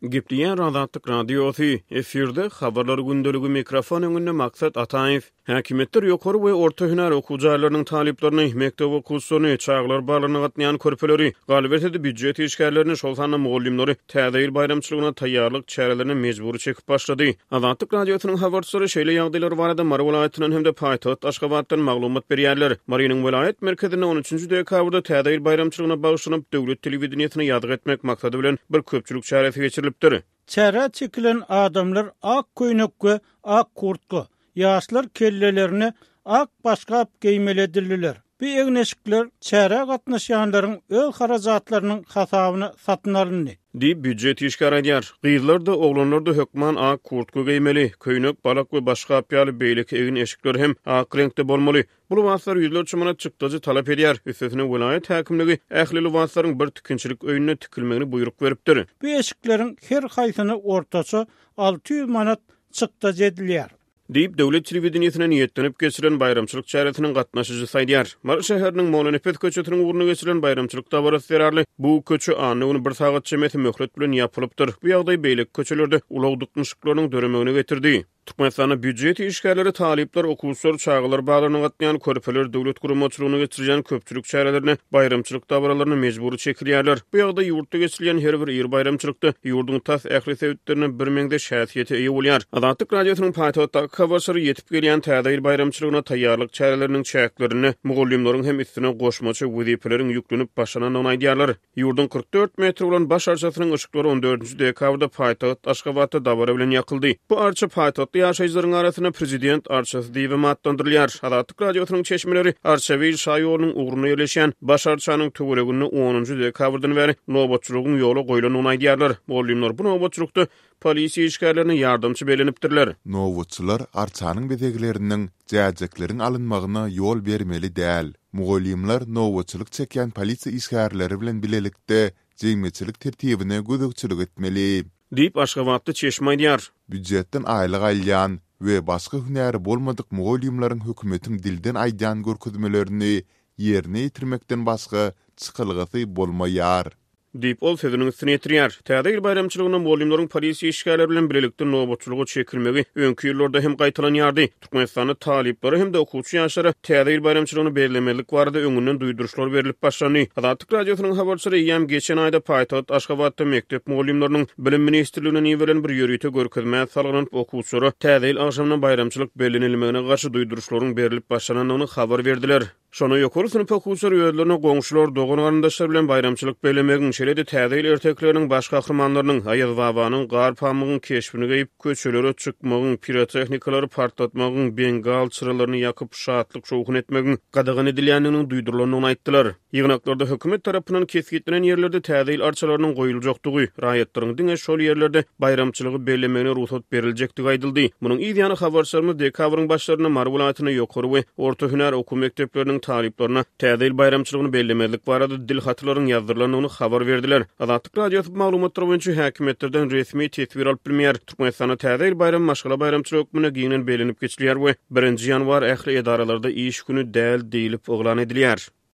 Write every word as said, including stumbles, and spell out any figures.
Gepleýär Azatlyk Radiosy, efirde Habarlar gündeligi, mikrofon öňünde Maksat Ataýew. Häkimiýetler ýokary we orta hünär okuw jaýlarynyň talyplaryny, mekdep okuwçylaryny, çagalar baglaryna gatnaýan körpeleri, galyberse-de býujet işgärlerini, şol sanda mugallymlary Täze ýyl baýramçylygyna taýýarlyk çärelerine mejbury çekip başlady. Azatlyk Radiosynyň habarçylary şeýle ýagdaýlar barada Mary welaýatyndan hem-de paýtagt Aşgabatdan maglumat berýärler. Marynyň welaýat merkezinde on üçünji dekabrda Täze ýyl baýramçylygyna bagyşlanyp, döwlet telewideniýesine ýazgy etmek maksady bilen bir köpçülik çäresi geçirilipdir. Çärä çekilen adamlar ak köýnek we ak kurtka, ýaşlar kellelerine ak başgap geýmeli edildiler. Bu egin-eşikler çärä gatnaşýanlaryň öz harajatlarynyň hasabyna satyn alyndy. Diýip, býujet işgäri aýdýar. Gyzlar-da, oglanlar-da hökman ak kurtka geýmeli, köýnek, balak we başgap ýaly beýleki egin-eşikler hem ak reňkde bolmaly. Bu lybaslar ýüzlerçe manat çykdajy talap edýär. Üstesine, welaýat häkimligi ähli lybaslaryň bir tikinçilik öýünde tikilmegini buýruk beripdir. Bu eşikleriň her haýsyna ortaça alty ýüz manat çykdajy edilýär. Diýip, döwlet telewideniýesine niýetlenip geçirilen baýramçylyk çäresiniň gatnaşyjysy aýdýar. Mary şäheriniň Mollanepes köçesiniň ugrunda geçirilen baýramçylyk dabarasy zerarly bu köçe anna güni bir sagat çemesi möhlet bilen ýapylypdyr. Bu ýagdaý beýleki köçelerde ulag dyknyşyklarynyň döremegine getirdi. Türkmenistanda býujet işgärleri, talyplar, okuwçylar, çagalar baglaryna gatnaýan körpeler döwlet guramaçylygynda geçirilýän köpçülik çärelerine, baýramçylyk dabaralaryna mejbury çekilýärler. Bu ýagdaý ýurtda geçirilýän her bir iri baýramçylykda ýurduň tas ähli sebitlerinde birmeňzeş häsiýete eýe bolýar. Azatlyk Radiosynyň paýtagtdaky habarçylary ýetip gelýän Täze ýyl baýramçylygyna taýýarlyk çäreleriniň çäklerinde mugallymlaryň hem üstüne goşmaça wezipeleriň ýüklenip başlanandygyny aýdýarlar. Ýurduň kyrk dört metr bolan baş arçasynyň yşyklary on dördünji dekabrda paýtagt Aşgabatda dabara bilen ýakyldy. Bu arça paýtagtly ýaşaýjylaryň arasynda prezident arçasy diýibem atlandyrylýar. Azatlyk Radiosynyň çeşmeleri Arçabil şaýolunyň ugrunda ýerleşýän baş arçanyň töwereginde onunjy dekabrdan bäri nobatçylygyň ýola goýlandygyny aýdýarlar. Mugallymlar bu nobatçylykda polisiýa işgärlerine ýardamçy bellenipdirler. Nobatçylar arçanyň bezegleriniň, jäjekleriň alynmagyna ýol bermeli däl. Mugallymlar nobatçylyk çekýän polisiýa işgärleri bilen bilelikde jemgyýetçilik tertibine gözegçilik etmeli. Diýip, aşgabatly çeşme aýdýar. Býujetden aýlyk alýan we başga hünäri bolmadyk mugallymlaryň hökümetiň dilden aýdýan görkezmelerini ýerine ýetirmekden başga çykalgasy bolmaýar. Diýip, ol sözüniň üstüni ýetirýär. Täze ýyl baýramçylygynda mugallymlaryň polisiýa işgärleri bilen bilelikde nobatçylyga çekilmegi öňki ýyllarda hem gaýtalanýardy. Türkmenistanda talyplara hem-de okuwçy ýaşlara Täze ýyl baýramçylygyny bellemezlik barada öňünden duýduryşlar berlip başlandy. Azatlyk Radiosynyň habarçylary eýýäm geçen aýda paýtagt Aşgabatda mekdep mugallymlarynyň Bilim ministrliginden iberilen bir ýörite görkezmä salgylanyp, okuwçylara Täze ýyl agşamyna baýramçylyk bellenilmegine garşy duýduryşlaryň berlip başlanandygyny habar berdiler. Şonda ýokary synp okuwçylary özlerine goňşular, dogan-garyndaşlar bilen baýramçylyk bellemegiň, şeýle-de Täze ýyl ertekileriniň baş gahrymanlarynyň, Aýazbabanyň, Garpamygyň keşbini geýip, köçelere çykmagyň, pirotehnikalar partlatmagyň, bengal çyralaryny ýakyp, şatlyk-şowhun etmegiň gadagan edilýändiginiň duýdurylandygyny aýtdylar. Ýygnaklarda hökümet tarapyndan kesgitlenen ýerlerde Täze ýyl arçalarynyň goýuljakdygy, raýatlaryň diňe şol ýerlerde baýramçylygy bellemegine rugsat beriljekdigi aýdyldy. Munuň yz ýany habarçylarymyz dekabryň başlarynda Mary welaýatynda ýokary we orta hünär okuw mekdepleriniň talyplaryna Täze ýyl baýramçylygyny bellemezlik barada dil hatylaryň ýazdyrylandygyny habar berdiler. Azatlyk Radiosy bu maglumatlar boýunça häkimiýetlerden resmi teswir alyp bilmeýär. Türkmenistanda Täze ýyl baýramy maşgala baýramçylygy hökmünde giňden bellenip geçilýär we birinji ýanwar ähli edaralarda iş güni däl diýlip yglan edilýär.